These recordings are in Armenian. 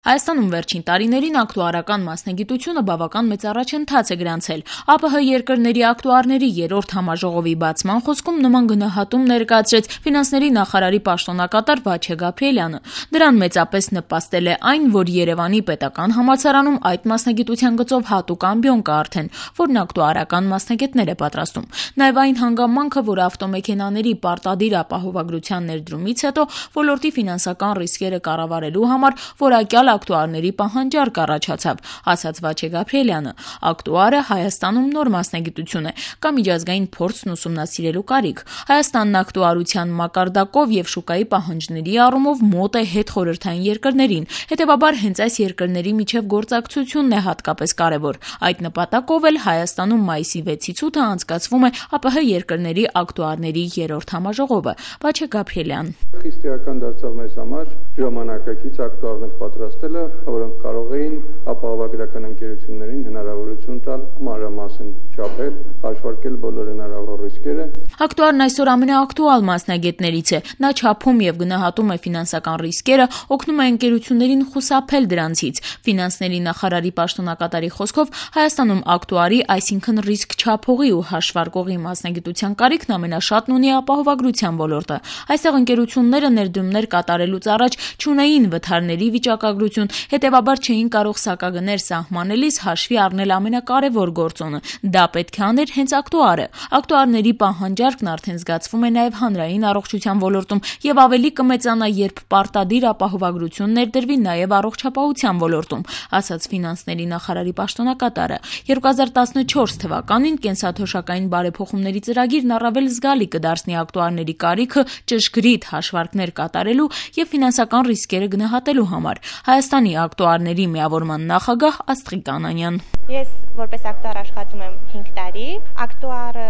Հայաստանում վերջին տարիներին ակտուարական մասնագիտությունը բավական մեծ առաջընթաց է գրանցել։ ԱՊՀ երկրների ակտուարների երրորդ համաժողովի բացման խոսքում նման գնահատում ներկայացրեց ֆինանսների նախարարի պաշտոնակատար Վաչե Գաբրիելյանը։ Դրան մեծապես նպաստել է այն, որ Երևանի պետական համալսարանում այդ մասնագիտության գծով հատուկ ամբիոն կա արդեն, որն ակտուարական մասնագետներ է պատրաստում։ Նաև այն հանգամանքը, որ ավտոմեքենաների պարտադիր ապահովագրության ներդրումից հետո ոլորտի ֆինանսական ռիսկերը կառավարելու համար որակյալ ակտուարների պահանջարկ առաջացավ, ասաց Վաչե Գաբրիելյանը։ Ակտուարը Հայաստանում նոր մասնագիտություն է, կա միջազգային փորձն ուսումնասիրելու կարիք։ Հայաստանն ակտուարության մակարդակով եւ շուկայի պահանջների առումով մոտ է հետխորհրդային երկրներին, հետեւաբար հենց այս երկրների միջև գործակցությունն է հատկապես կարևոր։ Այդ նպատակով էլ Հայաստանում մայիսի 6-ից 8-ը անցկացվում է ԱՊՀ երկրների ակտուարների երրորդ համաժողովը։ Վաչե Գաբրիելյան։ Խիստ էական դարձավ մեզ համար ժամանակակից ակտուարներ պատրաստելը, որոնք կարող էին ապահովագրական ընկերություններին հնարավորություն տալ մանրամասն չափել, հաշվարկել բոլոր հնարավոր ռիսկերը։ Ակտուարն այսօր ամենաակտուալ մասնագետներից է։ Նա չափում եւ գնահատում է ֆինանսական ռիսկերը, օգնում է ընկերություններին խուսափել դրանցից։ Ֆինանսների նախարարի պաշտոնակատարի խոսքով Հայաստանում ակտուարի, այսինքն ռիսկ չափողի ու հաշվարկողի մասնագիտության կարիքն ամենաշատն ունի ապահովագրության ոլորտը։ Այստեղ ընկերությունները ներդրումներ կատարելուց առաջ չունեին վթարների վիճակագրություն, հետևաբար չէին կարող սակագներ սահմանելիս հաշվի առնել ամենակարևոր գործոնը։ Դա պետք է աներ հենց ակտուարը։ Ակտուարների պահանջարկն արդեն զգացվում է նաև հանրային առողջության ոլորտում եւ ավելի կմեծանա, երբ պարտադիր ապահովագրություն ներդրվի նաև առողջապահության ոլորտում, ասաց ֆինանսների նախարարի պաշտոնակատարը։ 2014 թվականին կենսաթոշակային բարեփոխումների ծրագիրն առավել զգալի կդարձնի ակտուարների կարիքը ճշգրիտ հաշվարկներ կատարելու եւ ֆինանսական ռիսկերը գնահատելու համար։ Հայաստանի ակտուարների միավորման նախագահ Աստղիկ Անանյան։ Ես որպես ակտուար աշխատում եմ 5 տարի։ Ակտուարը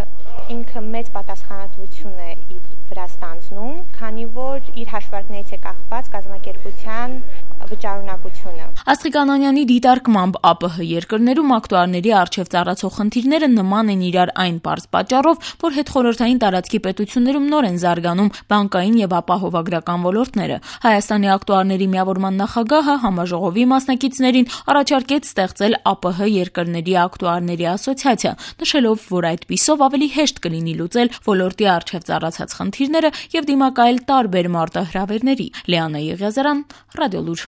ինքը մեծ պատասխանատվություն է իր վրա ստանձնում, քանի որ իր հաշվարկներից է կախված կազմակերպության վճարունակությունը։ Աստղիկ Անանյանի դիտարկմամբ ԱՊՀ երկրներում ակտուարների առջև ծառացող խնդիրները նման են իրար այն պարզ պատճառով, որ հետխորհրդային տարածքի պետություններում նոր են զարգանում բանկային եւ ապահովագրական ոլորտները։ Հայաստանի ակտուարների միավորման նախագահը համաժողովի մասնակիցներին առաջարկեց ստեղծել ԱՊՀ երկրների ակտուարների ասոցիացիա, նշելով, որ այդպիսով ավելի հեշտ կլինի լուծել ոլորտի առջև ծառացած խնդիրները եւ դիմակայել տարբեր մարտահրավերների։ Լիանա Եղիազարյան, Ռադիոլուր։